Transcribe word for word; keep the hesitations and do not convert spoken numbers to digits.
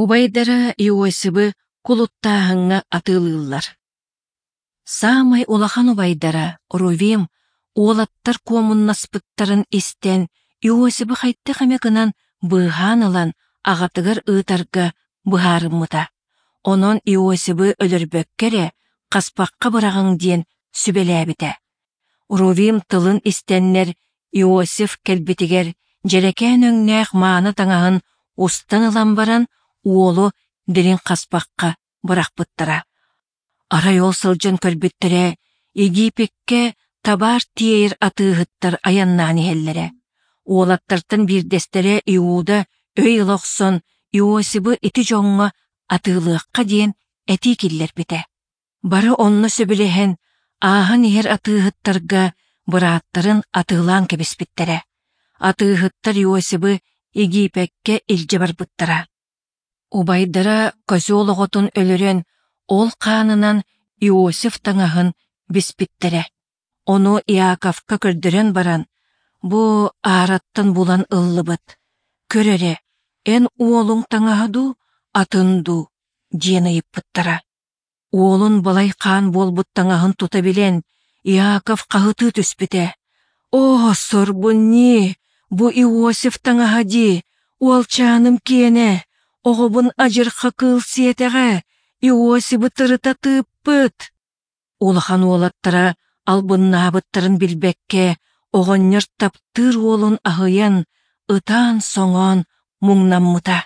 Убайдара Иосибы кулуттааһыҥҥа атыылыыллар. Саамай улахан убайдара Рувим уолаттар куомуннаспыттарын истэн, Иосибы хайдах эмэ гынан быыһаан ылан аҕатыгар ыытарга быһаарыммыта. Онон Иосибы өлөрбөккө эрэ хаспахха быраҕыҥ диэн сүбэлээбитэ. Рувим тылын истэннэр Иосиф кэлбитигэр дьэрэкээн өҥнөөх мааны таҥаһын устан ылан баран уолу дириҥ хаспахха бырахпыттара. Арай ол сылдьан көрбүттэрэ, Египеккэ табаар тиэйэр атыыһыттар айаннаан иһэллэрэ. Уолаттартан биирдэстэрэ Иуда өй ыла охсон Иосибы ити дьоҥҥо атыылыахха диэн этии киллэрбитэ. Бары онно сөбүлэһэн, ааһан иһэр атыыһыттарга бырааттарын атыылаан кэбиспиттэрэ. Атыыһыттар Иосибы Египеккэ илдьэ барбыттара. Убайдара козел оҕотун өлөрөн, ол хаанынан Иосиф таҥаһын биспиттэрэ. Ону Иаковка көрдөрөн баран, бу аараттан булан ыллыбыт. Көр эрэ, эн уолуҥ таҥаһа дуу, атын дуу диэн ыйыппыттара. Уолун балай хаан буолбут таҥаһын тута билэн, Иаков хаһытыы түспүтэ. «Оо, сорбун ньии, бу Иосиф таҥаһа дии, уолчааным киэнэ, оҕобун адьырха кыыл сиэтэҕэ, Иосибы тырыта тыыппыт!» Улахан уолаттара албыннаабыттарын билбэккэ, оҕонньор таптыыр уолун аһыйан, ытаан-соҥоон муҥнаммыта.